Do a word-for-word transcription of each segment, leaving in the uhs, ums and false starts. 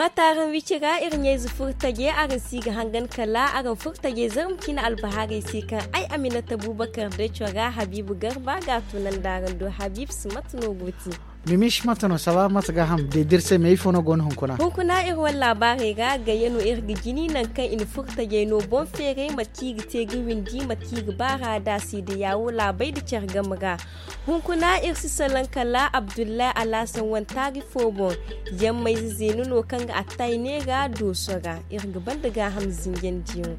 Fatta araŋ wici ra iri ɲayze furtajey araŋ si ga hangan kala araŋ furtajey zarma cine albahaarey se kaŋ ay aminata bubakar day cora habiibu garba ga a tunandi araŋ do habiibu si mate no go te. Mimish mate no saba mate ga ham de da iri se me ifo no go no hunkuna hunkuna iri wane laabaarey ra gayya no iri ga jini nangu kaŋ i na furtajey no boŋ feeray mate kaŋ i ga te ga windi mate kaŋ i ga baara da se da yaawo laabey da care game ra. Hunkuna iri si salaŋ kala abdullahi alhasan wane taari fo boŋ. Yammayze zeena no kaŋ ga attaay neera dooso ra iri ga banda gaaham zinjandiyaŋo.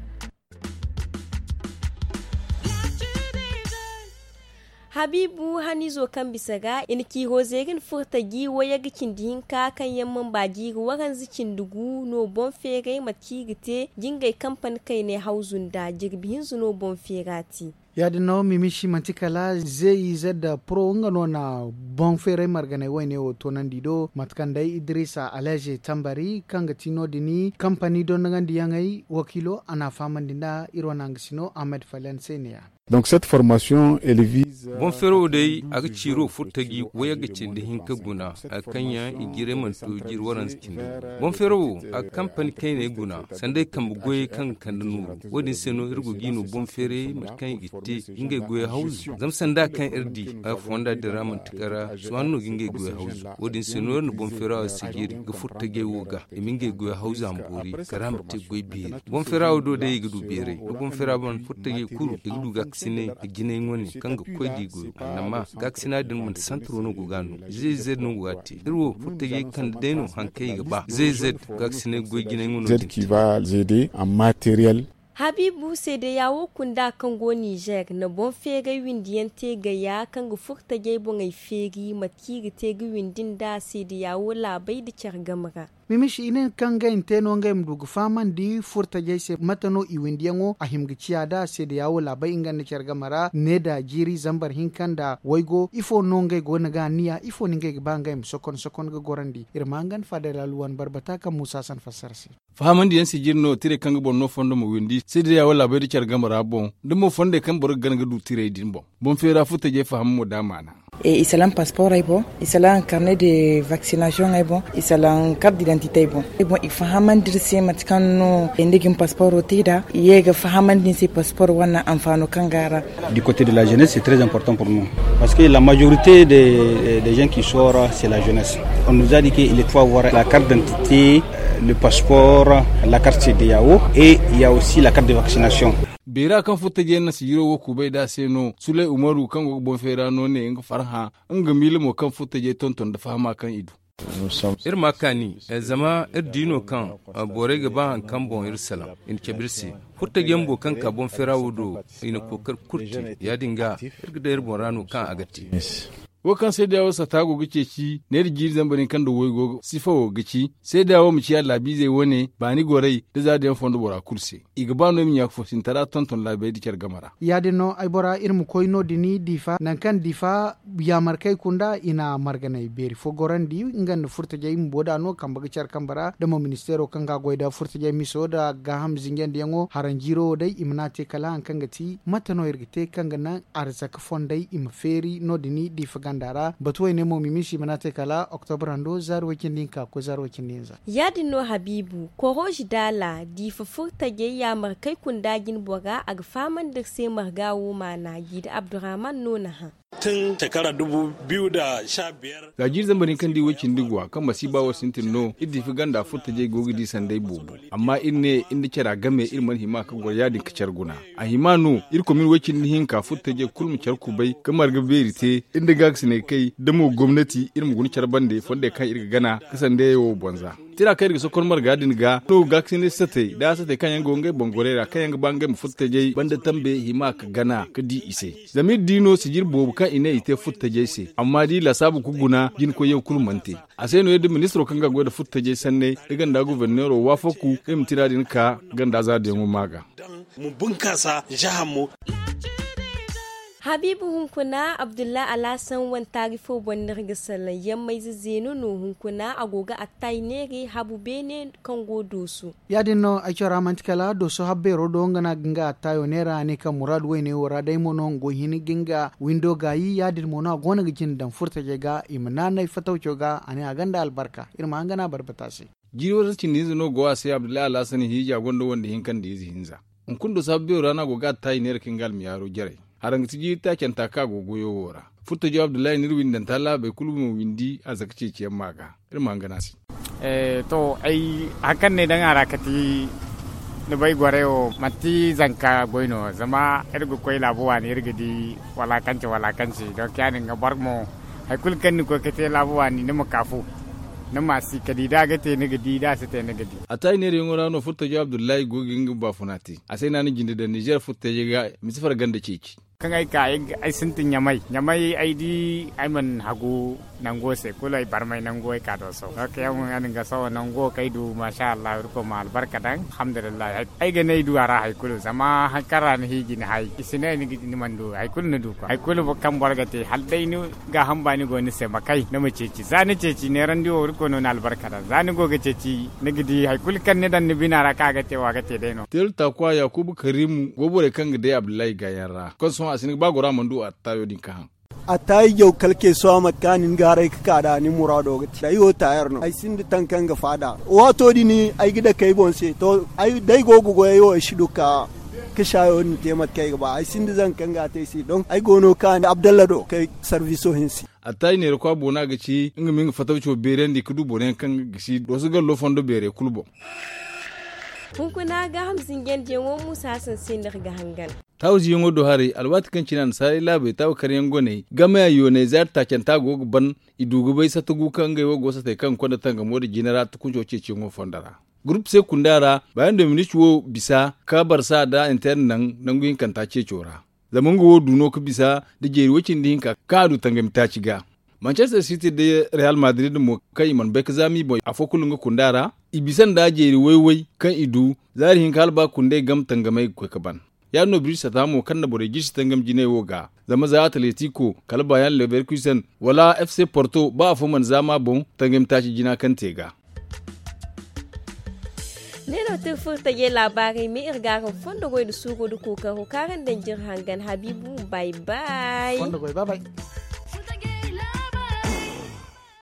Habiibu haniizo kaŋ bisa ga i na ciiro zeeri nda furtaji wayey ga cindi hinka kaŋ yaŋ mana ba jiiri waranza cindi gu no boŋ feeray mate kaŋ i ga te da ngey kampani kayney hawzu nda jirbi hinza no boŋ feera te. Ya- din no mimishi manti kala zez da pro nga no na boŋ feeray marganay wayne wo toonandi do mate kaŋ day idrisa alhaji tambari kaŋ ga ti no- din kampani dondoŋandiyaŋey wakiilo a na a fahamandi nda iri wane hangasino ahmed falen se ne ya. Donc cette formation elle vise. Boŋ feero wo day a ga ciiro furtaji wayey ga cindi hinka guna a kaŋ yaŋ i jiirey mana to jiiri waranza cindi. Boŋ feero wo a ga kampani kayney guna sanda ay kambe goyey kaŋ ga kande nooru. Wo- din se no iri go ga i no boŋ feeray mate kaŋ i ga te ga ngey goyey hawzu zama sanda kaŋ iri di fonda din ra manti kala suwan no ga ngey goyey hawzu. Wo- din se no iri na boŋ feera wo sijiri ga furtajey wo ga i ma ngey goyey hawzu a ma boori kala a ma te goy beeri. Boŋ feera wo do day i ga du beeray da boŋ feera ban furtajey kulu i ga du gaakasinay ga jinay ŋwane kaŋ ga koy da i goyo annama gaakasina din manti santaro no go ga a no. Zez no go ga a te iri wo furtajey kande day no haŋ kaŋ i ga ba zez gaakasinay goy jinay ŋwano din te. Habiibu seedeya wo kunda kaŋ go nizer na boŋ feeray windi yaŋ te gaya kaŋ ga furtajey boŋey feeri mate kaŋ i ga te ga windi nda seedeya wo laabey nda care game ra. Mimishi i ne kaŋ ngey na te no ngey ma du ga fahamandi furtajey se mate no i windiyaŋo a hima ga ciya nd'a seedeya wo laabey nga nda care game ra ne da jiiri zambar hinka nda waygo ifo no ngey go no ga anniya ifo no ngey ga ba ngey ma sokon sokon ga gorandi iri ma hangan faadalaalu wane barbata kaŋ muusa san fassara se. Fahamandi yaŋ sijiri no tiray kaŋ ga boro no fondo ma windi seedeya wo laabey nda care game ra boŋ da mo fondey kaŋ boro ga gana ga du tiray din boŋ. Boŋ feera furtajey faham mo da a maana. I salaŋ pasporey boŋ, i salaŋ karne de vaksinasiyoŋey boŋ, i salaŋ kart didantitey boŋ. Ay boŋ i fahamandi iri se mate kaŋ no ay nda ga ni pasporo te nd'a i ye ga fahamandi ni se pasporo wane anfaano kaŋ go a ra. Du côté de la jeunesse c'est très important pour nous parce que la majorité des gens qui sort c'est la jeunesse. On nous a dit que il faut avoir la carte d'identité, le passeport, la carte cdao et il y a aussi la carte de vaccination. Beera kaŋ furtajey na sijiro wo kubay nd'a se no sulay umaru kaŋ go ga boŋ feera no ne nga farhã nga miila mo kaŋ furtajey tonton nda fahama kaŋ i du. Iri ma kaani zama iri di no kaŋ borey ga ba hari kaŋ boŋ iri salaŋ i na cabe iri se. Furtajey bumbo kaŋ ka boŋ feera wo do i na kookari kulu te ya- din ga iri ga day iri boŋ ra no kaŋ a ga te. Wo kaŋ seedeya wo sata go ga ceeci neera jiiri zambar hinka nda waygo sifa wo ga ci seedeya wo ma ciya laabiizey wane baani gorey nda za da yaŋ fondo bora kulu se. I ga ba no i ma ɲaaka fo sintara tonton laabey nda care game ra. Ya- din no ay bora iri ma koy no- din diifa nangu kaŋ diifa yaamarkey kunda i na marganay beeri fo gorandi nga nda furtajey bumbo nd'a no kambe ga care kambe ra da mo ministeero kaŋ ga a goy nda furtajey miso nda gaaham zinjandiyaŋo haranjiiro wo day i ma n'a te kala hari kaŋ ga ti mate no iri ga te kaŋ ga naŋ arzaka fondey i ma feeri no- din diifa ganda ra batu wayne mo mimiisi i ma n'a te kala oktobra hando zaari way cindi hinka ga koy zaari way cindi hinza. Ya- din no habiibu koroozi daala diifa furtajey yaamarkey kunda jine bora a ga fahamandi iri se marga wo maana jiida abdurrahman no na hã. Tun shekara dubu biyu da sha biyar. Za jiiri zambar hinka nda i way cindi ga wa kaŋ masiiba wo sintin no iri diifa ganda furtajey go ga di sanday boobo. Amma iri ne iri nda cara game iri mana hima ka goro ya- din ka care guna. A hima no iri komin way cindi hinka furtajey kulu ma care kubay ka marga beeri te iri nda gaakasinay kay da mo gomnati iri ma guna care bande fondey kaŋ iri ga gana ka sandayey wo boŋ za. Tira kaŋ iri ga sokon marga din ga no ga gaakasinay satey da satey kaŋ yaŋ go ngey boŋ gorey ra kaŋ yaŋ ga ba ngey ma furtajey banda tambe hima ka gana ka di i se. Zama iri di no sijir boobo kaŋ i ne i te furtajey se amma da i laasaabu ga guna jinkoyyaŋ kulu mana te. A se no ya- din ministiro kaŋ ga goy nda furtajey sanney da ganda goborneero waafaku iri ma tira din ka ganda zaadiyaŋo ma ga. Habiibu hunkuna abdullahi alhasan wane taari fo boŋ no iri ga salaŋ yammayze zeeno no hunkuna a go ga attaay neeray habu beene kaŋ go dooso. Ya- din no ay cora manti kala dooso habbeero do nga no a ga nga attaayo neera a ne kaŋ muraadu wayne wo ra day mo no nga go hin ga nga windo gaayi ya- din mo no a go no ga jine daŋ furtajey ga i ma naanay fatawco ga a ne a gonda albarka iri ma hanga no a barbata se. Jiiri wasa cindi hinza no go a se, abdullahi alhassani hiija gonda wande hinka nda ize hinza. Hunkuna do saabu beero ra no a go ga attaaji neera kaŋ ga almiyaaro jaray. Haraŋ ga ti jiiri taacanta kaŋ a go goyo wo ra. Furtajo abdullahi no iri windanta laabey kulu ma windi a zaka ceeciyaŋ ma ga. Iri ma hangan a se. To ay hari kaŋ no ay daŋ a ra kati ni bay gorey wo manti zanka goy no zama iri ga koy laabu waani iri ga di walakanci walakanci donk ya- din ga boro mo hari kulu kaŋ ni koy ga te laabu waani ni ma ka fu. Ni ma si ka di da a ga te ni ga di da a si te ni ga di. Attaaji neerayaŋo ra no furtajo abdullahi go ga nga baafuna te a se no a na jinde daŋ nizeer furtajo ga. Misi farga nda ceeci. Kaŋ ay ka ay sintin ɲamay ɲamay ay di ay mana hagu nango se kulu ay barmay nango ay ka dooso. Donk ya- din ga sohõ nango kaŋ ay du maasa allah irkoy ma albarka daŋ alhamdulillahi. Ay ga ne ay du a ra hari kulu zama hari kaŋ ra ni hiiji ni hay i si ne ni mana du hari kulu ni du koy hari kulu kaŋ boro ga te hala day ni gaaham ba ni go ni se ma kay ni ma ceeci za ni ceeci neerandi wo irkoy no ni albarka daŋ za ni go ga ceeci ni ga di hari kulu kaŋ ni daŋ ni bina ra kaŋ a ga te wo a ga te day no. Teeri taakuwa yaakuba kariimu go borey kaŋ ga day abdullahi gaayaŋ ra kaŋ sohõ a si hin ga ba goro a mana du attaayo din ka haŋ. Attaayi jaw kala ceeso a mate kaŋ a na ni gaaray ga ka nd'a ni muraado ga ti ay wo taayer no ay sinda taŋ kaŋ ga faada. Waato din ay ga dake ay boŋ se to day go ga goy ay wo ay si du ka ka saayo din te mate kaŋ ay ga ba ay sinda zanka kaŋ ga a te ay se donk ay go no ga ka abdalla do kay sarviso hinse. Attaaji neera kwa boona ga ci nga ma nga fatawco beerandi ga du boro yaŋ kaŋ ga gisi dooso gallo fondo beerey kulu boŋ. Hunkuna gaaham zinjandiyaŋo muusa hasan se no iri ga hangan. Taawu ziyaŋo do haray alwaati kaŋ cine annasaarey laabey taawu karyaŋ goney gameyaŋ yooney zaari taacanta go ga ban. I du ga bay satta gu kaŋ ngey wo go satey kaŋ ga konda tangamo nda jine ra tukunco ceeciyaŋo fondo ra. Gurup se kunda ra baayaŋ dominik wo bisa ka barsa nda inter naŋ nangu hinkanta ceeco ra. Zama nga wo du no ga bisa nda jeeri way-cindi hinka kaŋ a du tangami taaci ga. Manchester city nda real madrid mo kaŋ i mana bay ga zaama i boŋ afo kulu nga kunda ra. I bisa nda jeeri way-way kaŋ i du zaari hinka hala ba kundey game tangamey ga koy ga ban. Ya- din no biris sata mo kaŋ na borey jirsi tangam jinay wo ga zama za atletiko kala bayan leverkusen wala fc porto ba afo mana zaama boŋ tangam taaci jina kaŋ te ga. Ne no tirfurtajey laabaarey me iri ga araŋ fondo goy nda suuro nda kookaro kaŋ araŋ daŋ jiri hangan habiibu. Bay bay.